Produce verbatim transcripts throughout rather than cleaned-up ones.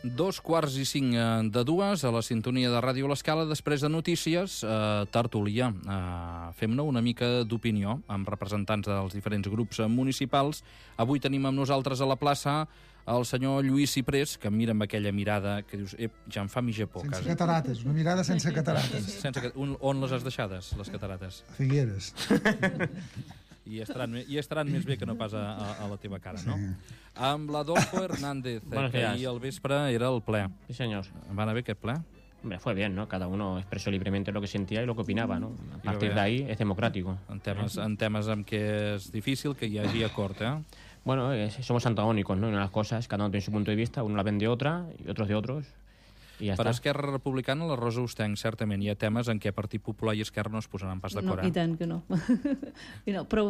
Dos quarts i cinc de dues, a la sintonia de Ràdio L'Escala, després de notícies, eh, tertúlia. Eh, Fem-ne una mica d'opinió amb representants dels diferents grups municipals. Avui tenim amb nosaltres a la plaça el senyor Lluís Ciprés, que em mira amb aquella mirada que dius, ep, ja em fa mitja por. Sense catarates, una mirada sense catarates. Sense, un, on les has deixades, les catarates? A Figueres. I estaran, I estaran més bé que no pas a, a, a la teva cara, no? Sí. Amb l'Adolfo Hernández, eh, que ahir al vespre era el ple. Sí, señor. ¿Va anar bé aquest ple? Hombre, fue bien, ¿no? Cada uno expresó libremente lo que sentía y lo que opinaba, ¿no? A partir de ahí es democrático. En temes, en temes en què és difícil que hi hagi acord, eh? Bueno, es, somos antagónicos, ¿no? En las cosas, cada uno tiene su punto de vista, uno la ven de otra y otros de otros. I ja per està. Esquerra Republicana, la Rosa Ostenc, certament hi ha temes en què Partit Popular i Esquerra no es posaran pas d'acord. No, i tant que no. I no. Però,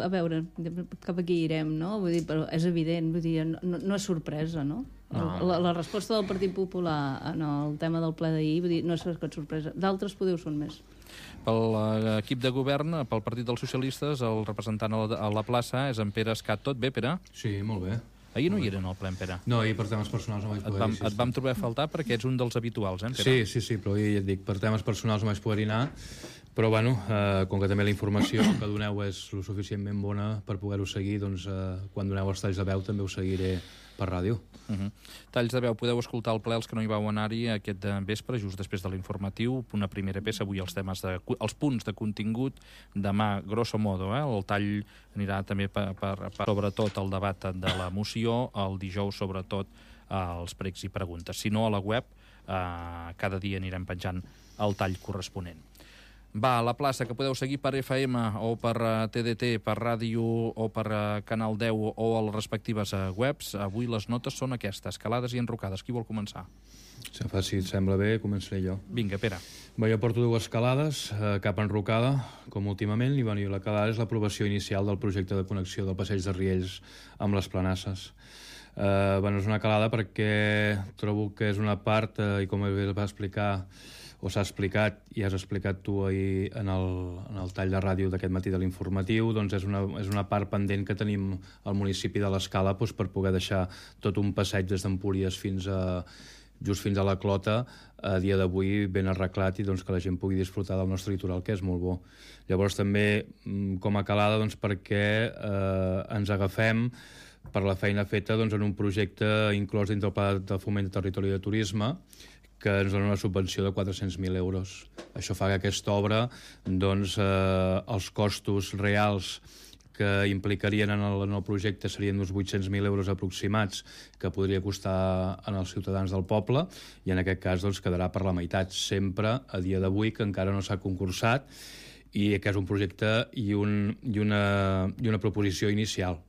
a veure, cap aquí irem, no? Vull dir, però és evident, vull dir, no, no és sorpresa, no? no. La, la resposta del Partit Popular en el tema del ple d'ahir, vull dir, no és cap sorpresa. D'altres podeu són més. Pel equip de govern, pel Partit dels Socialistes, el representant a la, a la plaça és en Pere Escat. Tot bé, Pere? Sí, molt bé. Ahir no hi eren al ple, Pere. No, ahir per temes personals no vaig poder et vam, ir. Sí, et vam trobar a faltar perquè ets un dels habituals, eh, Pere? Sí, sí, sí, però ahir ja et dic, per temes personals no vaig poder anar, però bueno, eh, com que també la informació que doneu és lo suficientment bona per poder-ho seguir, doncs eh, quan doneu els talls de veu també ho seguiré per ràdio. Uh -huh. Talls de veu, podeu escoltar el ple els que no hi vau anar-hi aquest vespre, just després de l'informatiu, una primera peça, avui els temes de, els punts de contingut, demà, grosso modo, eh? El tall anirà també per, per, per sobretot el debat de la moció, el dijous sobretot eh, els pregs i preguntes. Si no, a la web eh, cada dia anirem penjant el tall corresponent. Va, a la plaça, que podeu seguir per F M o per uh, T D T, per ràdio o per uh, Canal deu o a les respectives uh, webs. Avui les notes són aquestes, calades i enrocades. Qui vol començar? Si et sembla bé, començaré jo. Vinga, Pere. Bé, jo porto dues calades, eh, cap enrocada, com últimament, i, bueno, i la calada és l'aprovació inicial del projecte de connexió del passeig de Riells amb les Planasses. Eh, bueno, és una calada perquè trobo que és una part, eh, i com es va explicar o s'ha explicat, i has explicat tu ahir en el, en el tall de ràdio d'aquest matí de l'informatiu, doncs és una, és una part pendent que tenim al municipi de l'Escala, doncs, per poder deixar tot un passeig des d'Empúries fins a just fins a la Clota, a dia d'avui ben arreglat, i doncs que la gent pugui disfrutar del nostre litoral, que és molt bo. Llavors també com a calada, doncs, perquè eh, ens agafem per la feina feta, doncs, en un projecte inclòs dins del Pla de Foment de Territori i de Turisme, que ens dona una subvenció de quatre-cents mil euros. Això fa que aquesta obra, doncs, eh, els costos reals que implicarien en el, en el projecte serien uns vuit-cents mil euros aproximats, que podria costar als ciutadans del poble, i en aquest cas doncs, quedarà per la meitat, sempre a dia d'avui, que encara no s'ha concursat, i que és un projecte i, un, i, una, i una proposició inicial,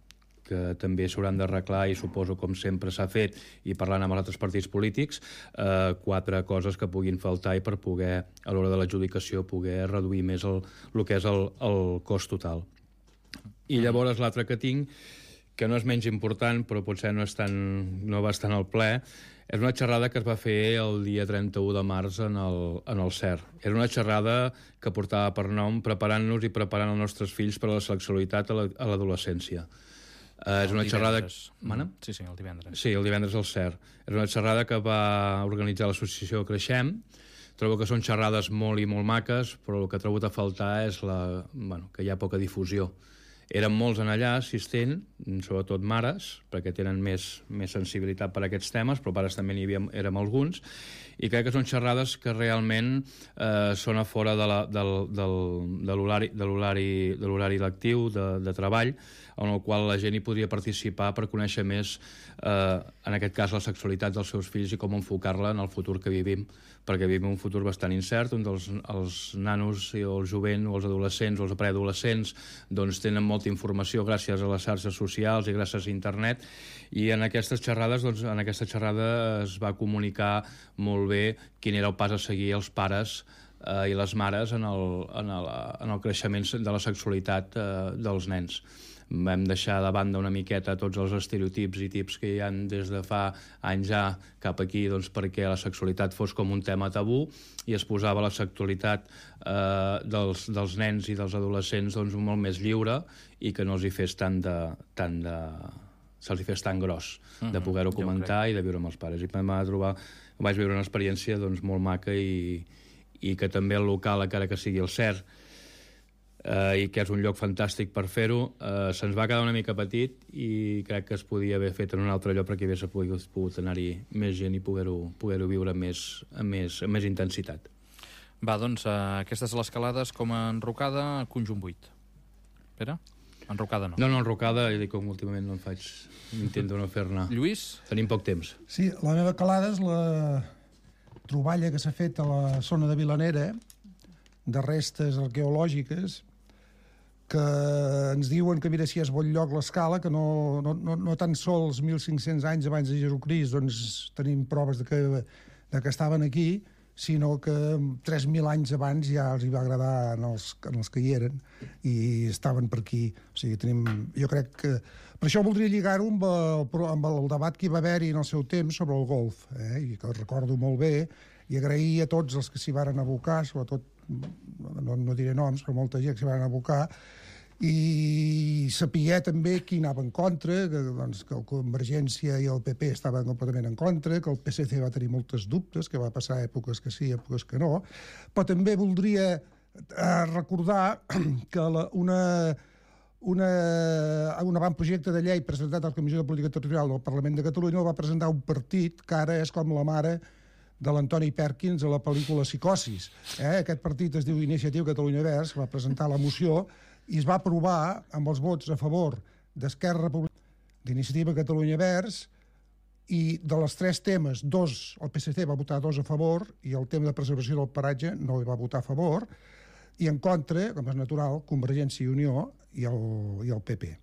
que també s'hauran d'arreglar, i suposo, com sempre s'ha fet, i parlant amb els altres partits polítics, eh, quatre coses que puguin faltar i per poder, a l'hora de l'adjudicació, poder reduir més el, el que és el, el cost total. I llavors l'altre que tinc, que no és menys important, però potser no, és tan, no va estar en el ple, és una xerrada que es va fer el dia trenta-u de març en el, en el C E R. Era una xerrada que portava per nom Preparant-nos i preparant els nostres fills per a la sexualitat a l'adolescència. Uh, és una xerrada... Mana? Sí, sí, el divendres. Sí, el divendres al C E R. És una xerrada que va organitzar l'associació Creixem. Trobo que són xerrades molt i molt maques, però el que he trobat a faltar és la, bueno, que hi ha poca difusió. Eren molts en allà assistent, sobretot mares, perquè tenen més, més sensibilitat per a aquests temes, però pares també n'hi havia, érem alguns, i crec que són xerrades que realment eh, són a fora de la, del, del, de l'horari de l'horari de l'horari lectiu, de, de treball, en el qual la gent hi podria participar per conèixer més, eh, en aquest cas, la sexualitat dels seus fills i com enfocar-la en el futur que vivim, perquè vivim un futur bastant incert, on els, els nanos i el jovent, o els adolescents o els preadolescents, doncs tenen molta informació gràcies a les xarxes socials i gràcies a internet, i en aquestes xerrades, doncs, en aquesta xerrada es va comunicar molt bé quin era el pas a seguir els pares eh, i les mares en el, en, el, en el creixement de la sexualitat eh, dels nens. Vam deixar de banda una miqueta tots els estereotips i tips que hi ha des de fa anys ja cap aquí, doncs, perquè la sexualitat fos com un tema tabú, i es posava la sexualitat eh, dels, dels nens i dels adolescents, doncs, molt més lliure, i que no els hi fes tant de, tant de, se'ls fes tan gros Mm-hmm, de poder-ho jo comentar i de viure amb els pares. I em va trobar, vaig viure una experiència doncs, molt maca i, i que també el local, encara que sigui el CERT, eh, i que és un lloc fantàstic per fer-ho, eh, se'ns va quedar una mica petit i crec que es podia haver fet en un altre lloc perquè hagués pogut, pogut anar-hi més gent i poder-ho poder viure amb més, amb, més, amb més intensitat. Va, doncs, uh, aquestes l'escalades com a enrocada, conjunt vuit. Pere? Enrocada no. No, no, enrocada, i com últimament no en faig, intento no fer-ne. Lluís? Tenim poc temps. Sí, la meva calada és la troballa que s'ha fet a la zona de Vilanera de restes arqueològiques que ens diuen que, mira, si és bon lloc l'escala, que no, no, no, no tan sols mil cinc-cents anys abans de Jesucrist doncs tenim proves de que, de que estaven aquí, sinó que tres mil anys abans ja els hi va agradar en els, en els que hi eren i estaven per aquí. O sigui, tenim, jo crec que... Per això voldria lligar-ho amb, el, amb el debat que hi va haver-hi en el seu temps sobre el golf, eh? I que recordo molt bé, i agrair a tots els que s'hi varen abocar, sobretot, no, no diré noms, però molta gent que s'hi varen abocar, i saber també qui anava en contra, que, doncs, que el Convergència i el P P estaven completament en contra, que el P S C va tenir moltes dubtes, que va passar èpoques que sí, èpoques que no, però també voldria eh, recordar que la, una, una, un avantprojecte de llei presentat a la Comissió de Política Territorial del Parlament de Catalunya el va presentar un partit que ara és com la mare de l'Antoni Perkins a la pel·lícula Psicosis. Eh? Aquest partit es diu Iniciativa Catalunya Verds, va presentar la moció i es va aprovar amb els vots a favor d'Esquerra Republicana, d'Iniciativa Catalunya Verds, i de les tres temes, dos, el P S C va votar dos a favor, i el tema de preservació del paratge no hi va votar a favor, i en contra, com és natural, Convergència i Unió i el, i el P P.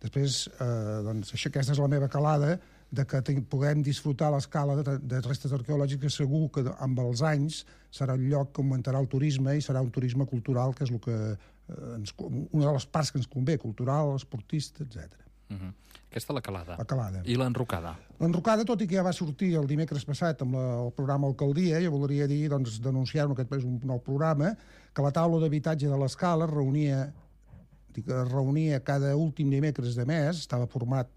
Després, eh, doncs, això, aquesta és la meva calada, de que puguem disfrutar l'escala de, de restes arqueològiques, segur que amb els anys serà un lloc que augmentarà el turisme i serà un turisme cultural, que és el que, eh, ens, una de les parts que ens convé, cultural, esportista, etcètera. Uh-huh. Aquesta la calada. La calada. I l'enrocada? L'enrocada, tot i que ja va sortir el dimecres passat amb la, el programa Alcaldia, jo voldria dir, doncs, denunciar-ho, aquest és un nou programa, que la taula d'habitatge de l'escala reunia, dic, reunia cada últim dimecres de mes, estava format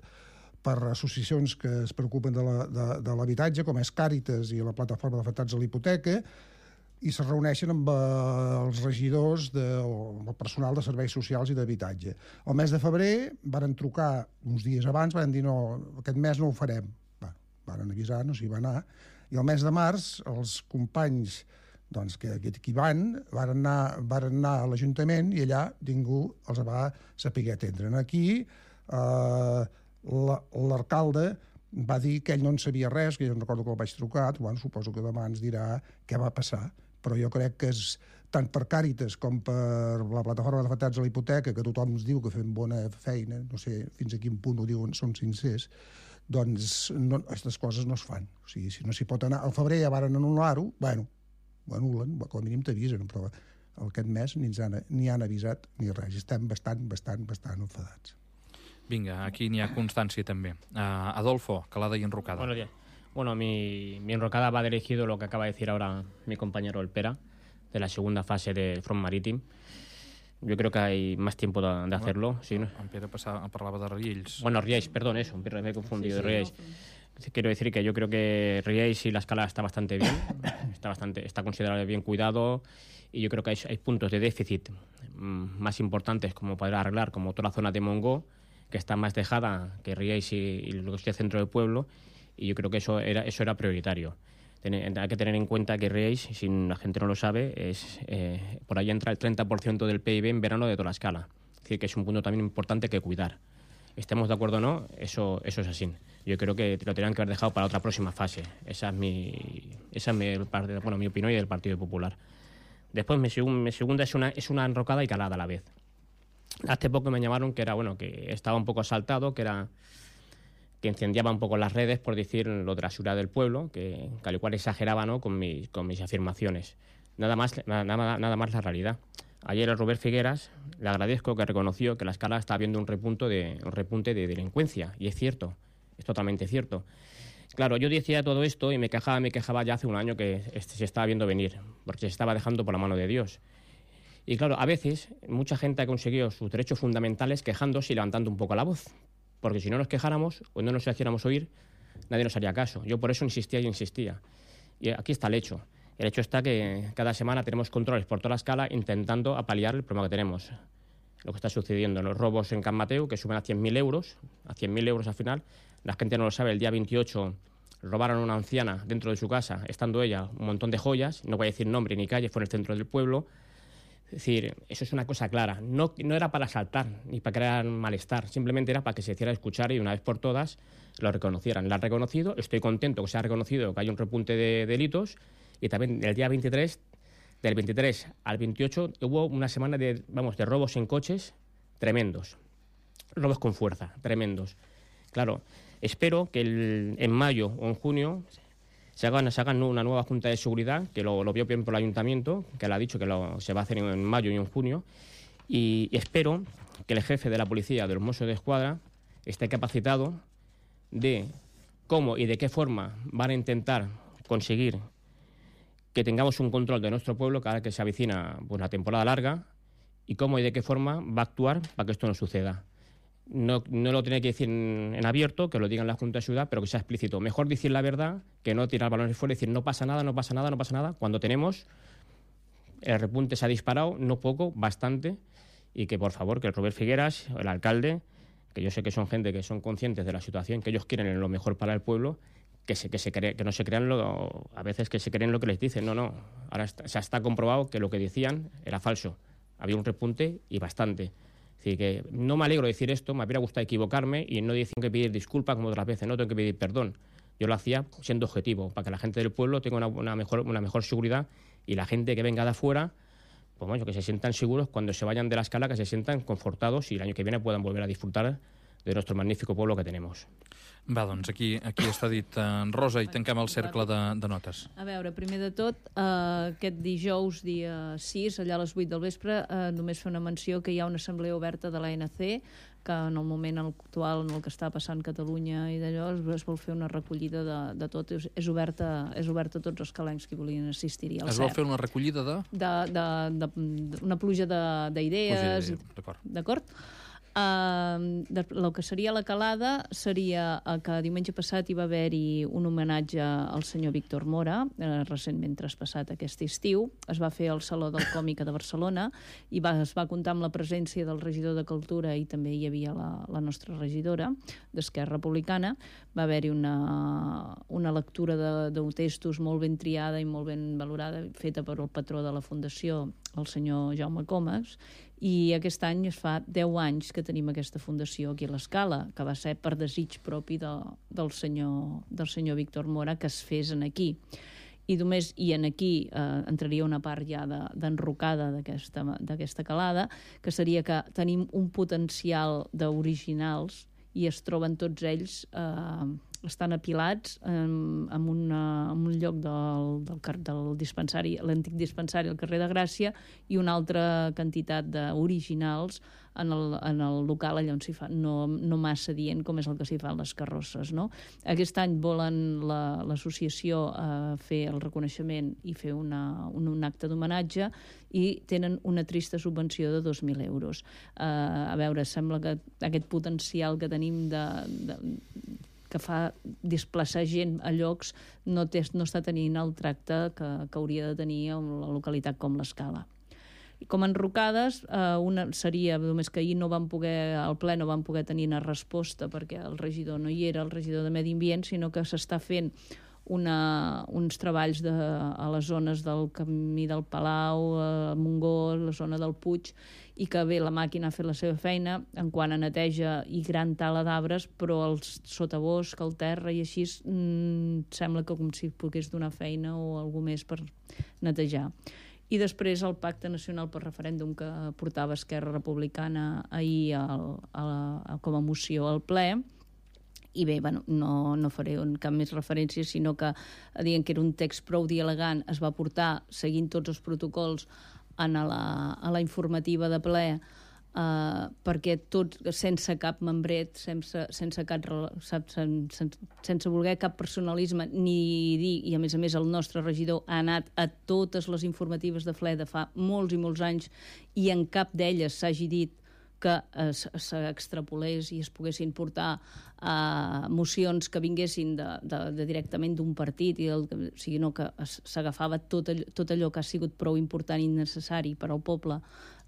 per associacions que es preocupen de l'habitatge, com és Càritas i la Plataforma d'Afectats a la Hipoteca, i se reuneixen amb eh, els regidors de, o amb el personal de serveis socials i d'habitatge. El mes de febrer varen trucar uns dies abans, varen dir no, aquest mes no ho farem. Va, varen avisar, no s'hi va anar. I el mes de març els companys doncs, que, que aquí van, varen anar, varen anar a l'Ajuntament i allà ningú els va saber atendre. Aquí eh, l'alcalde va dir que ell no en sabia res, que jo no recordo que el vaig trucar, bueno, suposo que demà ens dirà què va passar, però jo crec que és tant per Càritas com per la Plataforma d'Afectats a la Hipoteca, que tothom ens diu que fem bona feina, no sé fins a quin punt ho diuen, són sincers, doncs no, aquestes coses no es fan. O sigui, si no s'hi pot anar... Al febrer ja varen anul·lar-ho, bueno, ho anulen, com a mínim t'avisen, però aquest mes ni ens han, ni han avisat ni res. Estem bastant, bastant, bastant enfadats. Vinga, aquí n'hi ha constància també. Uh, Adolfo, calada y enrocada. Buenos días. Bueno, mi, mi enrocada va dirigido lo que acaba de decir ahora mi compañero el Pera, de la segunda fase del Front Marítim. Yo creo que hay más tiempo de, de hacerlo. Bueno, ¿sí? En Pere passava, parlava de Riells. Bueno, Riells, perdón, eso, me he confundido. Sí, sí, Riells. no. Quiero decir que yo creo que Riells y la escala está bastante bien, está, bastante, está considerado bien cuidado, y yo creo que hay, hay puntos de déficit mmm, más importantes como poder arreglar, como toda la zona de Montgó, que está más dejada que Riells y, y lo que es el centro del pueblo, y yo creo que eso era, eso era prioritario. Ten, hay que tener en cuenta que Riells, si la gente no lo sabe, es eh, por ahí entra el treinta por ciento del P I B en verano de toda la escala. Es decir, que es un punto también importante que cuidar. Estemos de acuerdo o no, eso, eso es así. Yo creo que lo tenían que haber dejado para otra próxima fase. Esa es mi, esa es mi, bueno, mi opinión y del Partido Popular. Después, mi, mi segunda es una, es una enrocada y calada a la vez. Hace poco me llamaron que era bueno que estaba un poco asaltado, que era que incendiaba un poco las redes por decir lo de la seguridad del pueblo, que, que al igual exageraba, ¿no?, con mis, con mis afirmaciones. Nada más, nada, nada más la realidad. Ayer el Robert Figueras le agradezco que reconoció que la escala está viendo un repunte de, un repunte de delincuencia, y es cierto, es totalmente cierto. Claro, yo decía todo esto y me quejaba, me quejaba ya hace un año que se estaba viendo venir, porque se estaba dejando por la mano de Dios. Y claro, a veces mucha gente ha conseguido sus derechos fundamentales quejándose y levantando un poco la voz. porque si no nos quejáramos o no nos hiciéramos oír, nadie nos haría caso. Yo por eso insistía y insistía. Y aquí está el hecho. El hecho está que cada semana tenemos controles por toda la escala intentando apalear el problema que tenemos. Lo que está sucediendo, los robos en Can Mateu, que suben a cien mil euros, a cien mil euros al final. La gente no lo sabe, el día veintiocho robaron a una anciana dentro de su casa, estando ella un montón de joyas, no voy a decir nombre ni calle, fue en el centro del pueblo. Es decir, eso es una cosa clara. No, no era para asaltar ni para crear malestar, simplemente era para que se hiciera escuchar y una vez por todas lo reconocieran. La han reconocido, estoy contento que se ha reconocido que hay un repunte de delitos y también el día veintitrés, del veintitrés al veintiocho, hubo una semana de, vamos, de robos en coches tremendos. Robos con fuerza, tremendos. Claro, espero que el, en mayo o en junio se hagan, se hagan una nueva Junta de Seguridad, que lo, lo vio bien por el Ayuntamiento, que le ha dicho que lo, se va a hacer en, en mayo y en junio, y, y espero que el jefe de la policía, de los Mossos de Escuadra, esté capacitado de cómo y de qué forma van a intentar conseguir que tengamos un control de nuestro pueblo cada vez que se avecina pues, una temporada larga y cómo y de qué forma va a actuar para que esto no suceda. No, no lo tiene que decir en, en abierto, que lo diga en la Junta de Ciudad, pero que sea explícito. Mejor decir la verdad que no tirar balones fuera y decir no pasa nada, no pasa nada, no pasa nada, cuando tenemos el repunte se ha disparado, no poco, bastante, y que por favor que el Robert Figueras, el alcalde, que yo sé que son gente que son conscientes de la situación, que ellos quieren lo mejor para el pueblo, que se, que se cre, que no se crean lo, a veces que se creen lo que les dicen. No, no, ahora está, se está comprobado que lo que decían era falso. Había un repunte y bastante. Es decir, que no me alegro de decir esto, me habría gustado equivocarme y no decir que pedir disculpas como otras veces, no tengo que pedir perdón. Yo lo hacía siendo objetivo, para que la gente del pueblo tenga una, una, mejor, una mejor seguridad y la gente que venga de afuera, pues bueno, que se sientan seguros cuando se vayan de la escala, que se sientan confortados y el año que viene puedan volver a disfrutar de nuestro magnífico pueblo que tenemos. Va, doncs aquí, aquí està dit uh, Rosa i tanquem el cercle de, de notes. A veure, primer de tot, eh, aquest dijous, dia sis, allà a les vuit del vespre, eh, només fer una menció que hi ha una assemblea oberta de l'A N C, que en el moment actual en el que està passant Catalunya i d'allò es, es vol fer una recollida de, de tot. És, és, oberta, és oberta a tots els calencs que volien assistir-hi. Es vol fer una recollida de? De, de, de, de una pluja d'idees. D'acord. D'acord? Uh, el que seria la calada seria que diumenge passat hi va haver-hi un homenatge al senyor Víctor Mora, eh, recentment traspassat aquest estiu. Es va fer al Saló del Còmica de Barcelona i va, es va comptar amb la presència del regidor de Cultura i també hi havia la, la nostra regidora d'Esquerra Republicana. Va haver-hi una, una lectura de, de textos molt ben triada i molt ben valorada, feta per el patró de la Fundació, el senyor Jaume Comas, i aquest any es fa deu anys que tenim aquesta fundació aquí a l'Escala, que va ser per desig propi de, del, senyor, del senyor Víctor Mora que es fes en aquí. I només i en aquí eh, entraria una part ja d'enrocada de, d'aquesta calada, que seria que tenim un potencial d'originals i es troben tots ells... Eh, estan apilats en, en, una, en un lloc del, del, del dispensari, l'antic dispensari al carrer de Gràcia, i una altra quantitat d'originals en el, en el local allà on s'hi fa, no, no massa dient com és el que s'hi fa a les carrosses, no? Aquest any volen l'associació la, eh, fer el reconeixement i fer una, un, un acte d'homenatge i tenen una trista subvenció de dos mil euros. Eh, a veure, sembla que aquest potencial que tenim de... de que fa desplaçar gent a llocs, no, té, no està tenint el tracte que, que hauria de tenir en la localitat com l'Escala. I com a enrocades, eh, una seria, només que ahir no van poder, al ple no van poder tenir una resposta perquè el regidor no hi era, el regidor de Medi Ambient, sinó que s'està fent una, uns treballs de, a les zones del Camí del Palau, a Montgó, la zona del Puig, i que bé, la màquina ha fet la seva feina en quant a neteja i gran tala d'arbres, però el sotabosc, el terra i així mmm, sembla que com si pogués donar feina o alguna més per netejar. I després el Pacte Nacional per Referèndum que portava Esquerra Republicana ahir al, a, a, com a moció al ple. I bé, bueno, no, no faré cap més referència, sinó que dient que era un text prou dialogant, es va portar seguint tots els protocols en la, a la informativa de ple, eh, perquè tot, sense cap membret, sense, sense, cap, sense, sense voler cap personalisme ni dir, i a més a més el nostre regidor ha anat a totes les informatives de ple de fa molts i molts anys i en cap d'elles s'hagi dit que s'extrapolés i es poguessin portar uh, mocions que vinguessin de, de, de directament d'un partit, i el, o sigui, no, que s'agafava tot, allò, tot allò que ha sigut prou important i necessari per al poble,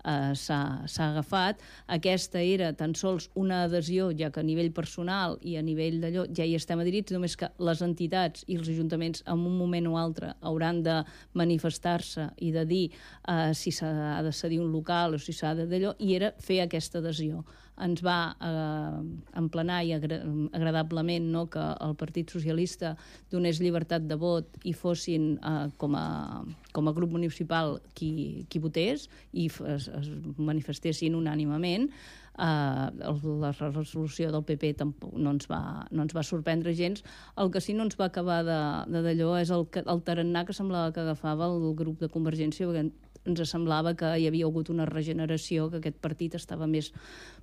Uh, s'ha agafat. Aquesta era tan sols una adhesió, ja que a nivell personal i a nivell d'allò ja hi estem adherits, només que les entitats i els ajuntaments en un moment o altre hauran de manifestar-se i de dir uh, si s'ha de cedir un local o si s'ha d'allò, i era fer aquesta adhesió. Ens va eh, emplenar i agra agradablement, no, que el Partit Socialista donés llibertat de vot i fossin eh, com, a, com a grup municipal qui, qui votés i es, es manifestessin unànimament. Eh, la resolució del P P tampoc no ens va, no ens va sorprendre gens. El que sí no ens va acabar d'allò és el, el tarannà que semblava que agafava el grup de Convergència, perquè ens semblava que hi havia hagut una regeneració, que aquest partit estava més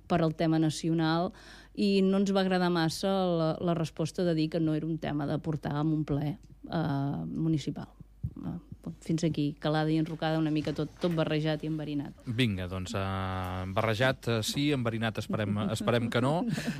per al tema nacional, i no ens va agradar massa la, la resposta de dir que no era un tema de portar a un ple eh, municipal. Eh, fins aquí, calada i enrocada, una mica tot, tot barrejat i enverinat. Vinga, doncs, uh, barrejat uh, sí, enverinat esperem, esperem que no.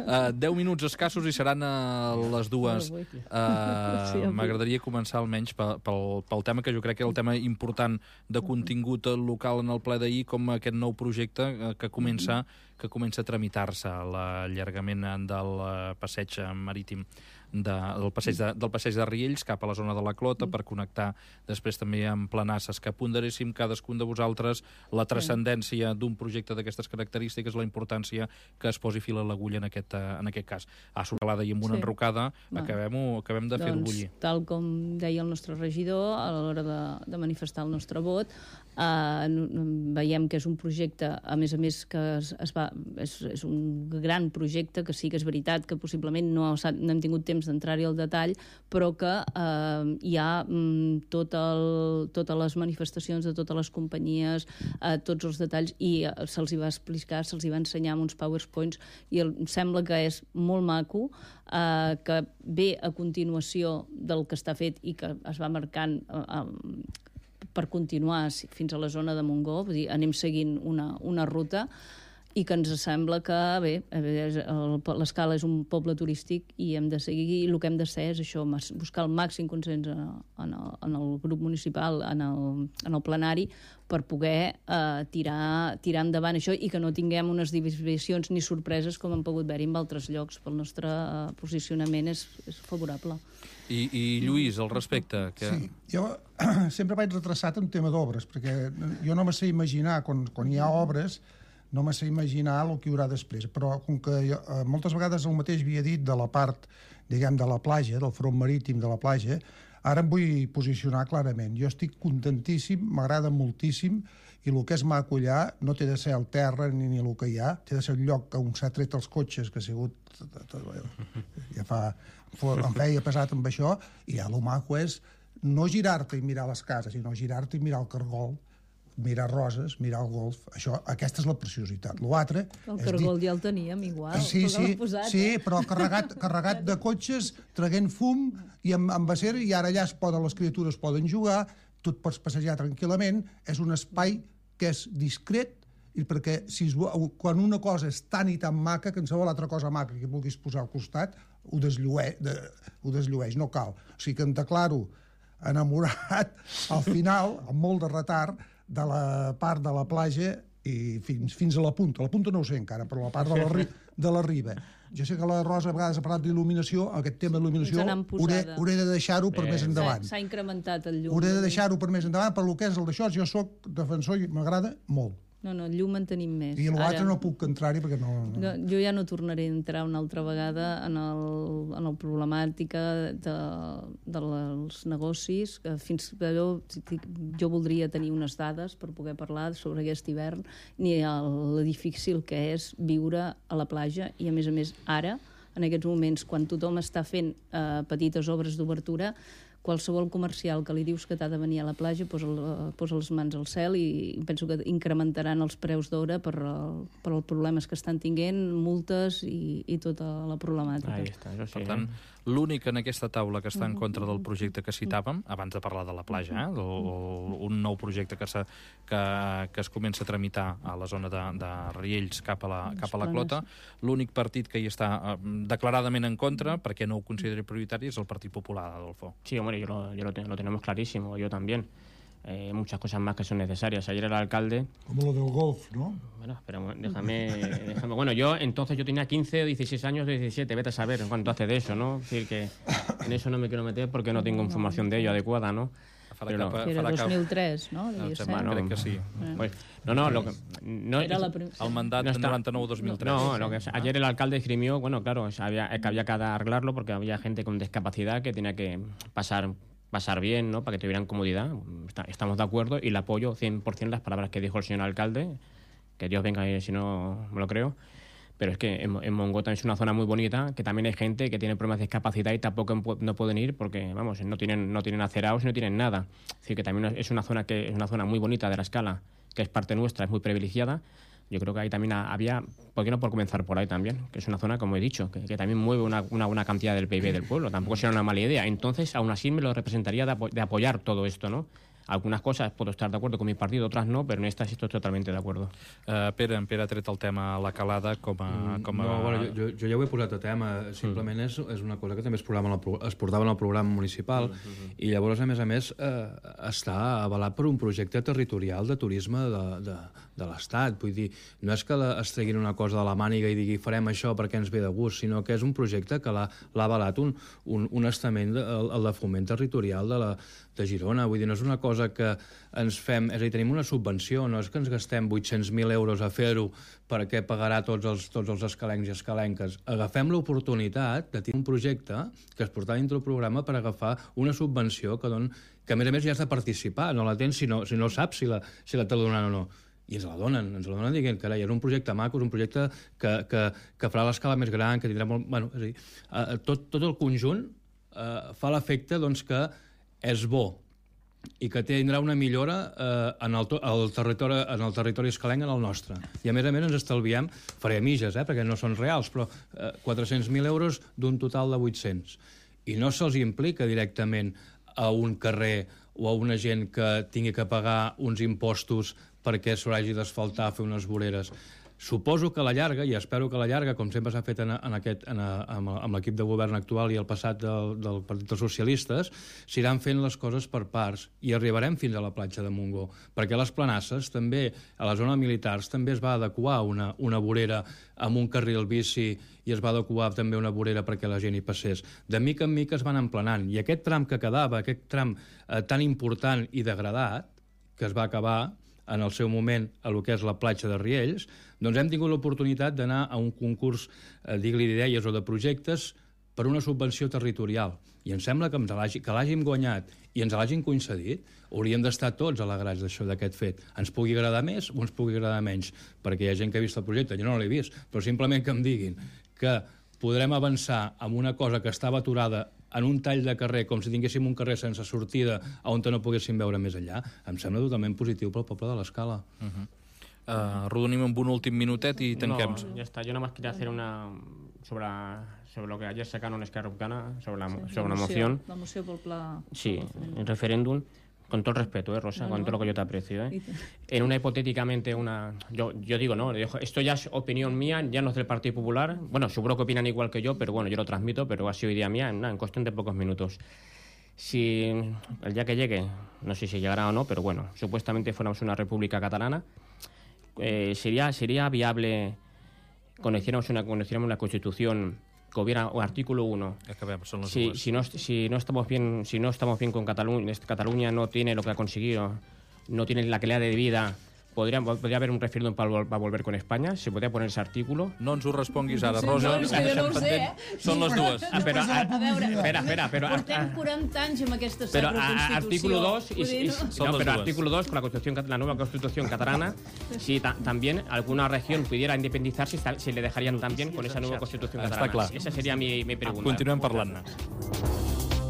Uh, deu minuts escassos i seran uh, les dues. Uh, M'agradaria començar almenys pel, pel, pel tema que jo crec que era el tema important de contingut local en el ple d'ahir, com aquest nou projecte uh, que comença que comença a tramitar-se, l'allargament del uh, passeig marítim de, del, passeig de, del passeig de Riells cap a la zona de la Clota, per connectar després també amb Planasses. Que ponderéssim cadascun de vosaltres la transcendència d'un projecte d'aquestes característiques, la importància que es posi fil a l'agulla en, aquest, en aquest cas. A Sorcalada i amb una sí. enrocada, acabem, acabem de doncs, fer-ho bullir. Tal com deia el nostre regidor, a l'hora de, de manifestar el nostre vot, Uh, veiem que és un projecte, a més a més, que es, es va, és, és un gran projecte, que sí que és veritat que possiblement no, no hem tingut temps d'entrar-hi al detall, però que uh, hi ha um, tot el, totes les manifestacions de totes les companyies, uh, tots els detalls, i uh, se'ls hi va explicar, se'ls hi va ensenyar amb uns PowerPoints, i el, sembla que és molt maco, uh, que ve a continuació del que està fet i que es va marcant uh, uh, per continuar fins a la zona de Montgó, vull dir, anem seguint una, una ruta, i que ens sembla que, bé, l'Escala és un poble turístic i hem de seguir, i el que hem de ser és això, buscar el màxim consens en el, en el grup municipal, en el, en el plenari, per poder eh, tirar, tirar endavant això i que no tinguem unes divisions ni sorpreses com han pogut haver-hi en altres llocs. Pel nostre eh, posicionament és, és favorable. I, I Lluís, al respecte... Que... Sí, jo sempre vaig retrasat en tema d'obres, perquè jo no me sé imaginar, quan, quan hi ha obres, no me sé imaginar el que hi haurà després, però com que jo, eh, moltes vegades el mateix havia dit de la part, diguem, de la platja, del front marítim de la platja, ara em vull posicionar clarament. Jo estic contentíssim, m'agrada moltíssim, i el que és maco allà no té de ser el terra ni, ni el que hi ha, té de ser un lloc on s'ha tret els cotxes, que ha sigut... ja fa... em feia pesat amb això, i ja el maco és no girar-te i mirar les cases, sinó girar-te i mirar el cargol, mirar roses, mirar el golf. Això, aquesta és la preciositat. L'altre... El cargol dir... ja el teníem igual. Sí, sí, posat, sí, eh? Però carregat, carregat de cotxes, traguent fum i amb, amb acer, i ara allà es poden, les criatures poden jugar, tu et pots passejar tranquil·lament, és un espai que és discret, i perquè si es, quan una cosa és tan i tan maca, que en qualsevol altra cosa maca que vulguis posar al costat, ho desllueix, de, ho desllueix, no cal. O sigui que em declaro enamorat al final, amb molt de retard, de la part de la platja i fins, fins a la punta. La punta no ho sé encara, però la part de la, ri, de la riba. Jo sé que la Rosa a vegades ha parlat d'il·luminació, aquest tema d'il·luminació hauré, hauré de deixar-ho per més endavant. S'ha incrementat el llum. Hauré de deixar-ho per més endavant, per lo que és el d'això, jo sóc defensor i m'agrada molt. No, no, llum en tenim més. I l'altre no puc entrar-hi perquè no, no... no... Jo ja no tornaré a entrar una altra vegada en el, en la problemàtica de, dels negocis. Que fins jo, jo voldria tenir unes dades per poder parlar sobre aquest hivern, ni el difícil que és viure a la platja, i a més a més ara, en aquests moments, quan tothom està fent eh, petites obres d'obertura, qualsevol comercial que li dius que t'ha de venir a la platja posa, posa les mans al cel, i penso que incrementaran els preus d'hora per, per els problemes que estan tinguent, multes i, i tota la problemàtica. Ahí està, això sí, per tant, L'únic en aquesta taula que està en contra del projecte que citàvem, abans de parlar de la platja, eh, o, o un nou projecte que, se, que, que es comença a tramitar a la zona de, de Riells cap a la, cap a la Clota, l'únic partit que hi està eh, declaradament en contra, perquè no ho consideri prioritari, és el Partit Popular, Adolfo. Sí, hombre, yo lo, yo lo, te, lo tenemos clarísimo, yo también. Eh, muchas cosas más que son necesarias. Ayer el alcalde... Como lo del golf, ¿no? Bueno, pero déjame, déjame... Bueno, yo entonces yo tenía quince o dieciséis años, diecisiete, vete a saber cuánto hace de eso, ¿no? Es decir, que en eso no me quiero meter porque no tengo información de ello adecuada, ¿no? Però, que era dos mil tres, no? Em sembla, crec que sí. Pues, no, no, lo que, no era la prim... el mandat no noranta-nou dos mil tres. No, lo que, ayer el alcalde esgrimió, bueno, claro, había, que había que arreglarlo porque había gente con discapacidad que tenía que pasar pasar bien, ¿no? Para que tuvieran comodidad. Está, estamos de acuerdo y le apoyo cien por ciento las palabras que dijo el señor alcalde, que Dios venga y si no me lo creo. Pero es que en, en Mongo también es una zona muy bonita, que también hay gente que tiene problemas de discapacidad y tampoco no pueden ir porque, vamos, no tienen, no tienen acerados y no tienen nada. Es decir, que también es una zona que es una zona muy bonita de la Escala, que es parte nuestra, es muy privilegiada. Yo creo que ahí también había, ¿por qué no por comenzar por ahí también? Que es una zona, como he dicho, que, que también mueve una, una buena cantidad del P I B del pueblo. Tampoco será una mala idea. Entonces, aún así me lo representaría de, apo de apoyar todo esto, ¿no? Algunes coses puedo estar d'acord con mi partit, otras no, però en esta sí estoy totalmente de acuerdo. Uh, Pere, en Pere ha tret el tema a la calada com a... Com a... No, bueno, jo, jo ja ho he posat a tema, simplement mm. és, és una cosa que també es, programa el, es portava en el programa municipal mm -hmm. i llavors, a més a més, eh, està avalat per un projecte territorial de turisme de, de, de l'Estat. Vull dir, no és que la, es treguin una cosa de la màniga i digui farem això perquè ens ve de gust, sinó que és un projecte que l'ha avalat un, un, un estament, de, el, el de foment territorial de, la, de Girona. Vull dir, no és una cosa que ens fem... És a dir, tenim una subvenció, no és que ens gastem vuit-cents mil euros a fer-ho perquè pagarà tots els, tots els escalencs i escalenques. Agafem l'oportunitat de tenir un projecte que es portarà dintre el programa per agafar una subvenció que, don, que a més a més ja has de participar, no la tens si no, si no saps si la, si la te la donen o no. I ens la donen, ens la donen dient, carai, és un projecte maco, és un projecte que, que, que farà l'escala més gran, que tindrà molt... Bueno, és a dir, eh, tot, tot el conjunt eh, fa l'efecte doncs, que és bo i que tindrà una millora eh, en, el, el territori, en el territori escalenc, en el nostre. I a més a més ens estalviem, faré mitges, eh, perquè no són reals, però eh, quatre-cents mil euros d'un total de vuit-cents. I no se'ls implica directament a un carrer o a una gent que tingui que pagar uns impostos perquè s'hagi d'asfaltar, fer unes voreres. Suposo que a la llarga, i espero que a la llarga, com sempre s'ha fet en, en aquest, en, amb, amb l'equip de govern actual i el passat del, del Partit dels Socialistes, s'iran fent les coses per parts i arribarem fins a la platja de Montgó. Perquè a les Planasses, també, a la zona militars, també es va adequar una, una vorera amb un carril bici i es va adequar també una vorera perquè la gent hi passés. De mica en mica es van emplenant. I aquest tram que quedava, aquest tram eh, tan important i degradat, que es va acabar en el seu moment a lo que és la platja de Riells, doncs hem tingut l'oportunitat d'anar a un concurs, eh, digue-li d'idees o de projectes, per una subvenció territorial. I em sembla que, que l'hàgim guanyat i ens l'hagin concedit, hauríem d'estar tots alegrats d'això, d'aquest fet. Ens pugui agradar més o ens pugui agradar menys, perquè hi ha gent que ha vist el projecte, jo no l'he vist, però simplement que em diguin que podrem avançar amb una cosa que estava aturada en un tall de carrer, com si tinguéssim un carrer sense sortida on no poguéssim veure més enllà, em sembla totalment positiu pel poble de l'Escala. Uh -huh. uh, Rodonim amb un últim minutet i tanquem. No, ya está. Yo nada más quería hacer una... sobre, sobre lo que ayer sacaron en Esquerra Republicana, sobre la, sí, sobre la moción. La moció pel pla... Sí, el referéndum. Con todo el respeto, ¿eh, Rosa? No, con no. todo lo que yo te aprecio, ¿eh? En una hipotéticamente, una... Yo, yo digo, no, esto ya es opinión mía, ya no es del Partido Popular. Bueno, seguro que opinan igual que yo, pero bueno, yo lo transmito, pero ha sido idea mía en, en cuestión de pocos minutos. Si el día que llegue, no sé si llegará o no, pero bueno, supuestamente fuéramos una república catalana, eh, sería, sería viable cuando hiciéramos una, cuando hiciéramos una constitución que hubiera un artículo uno. Si, si, no, si, no estamos bien, si no estamos bien con Cataluña, Cataluña no tiene lo que ha conseguido, no tiene la calidad de vida, podria, podria haver un referèndum per, per volver con Espanya? ¿Se podria poner ese artículo? No ens ho responguis ara, Rosa. No, no, no ho sé, eh? Són les dues. Ah, però, a, a veure, espera, espera, però, portem quaranta anys amb aquesta sacra Constitució. Artículo dos, y, y, no? no, pero artículo dos, con la, constitución, la nueva Constitución catalana, si ta, también alguna región pudiera independizarse, si le dejarían también con esa nueva Constitución catalana. Està clar. Esa seria mi, mi pregunta. Continuem parlant-ne.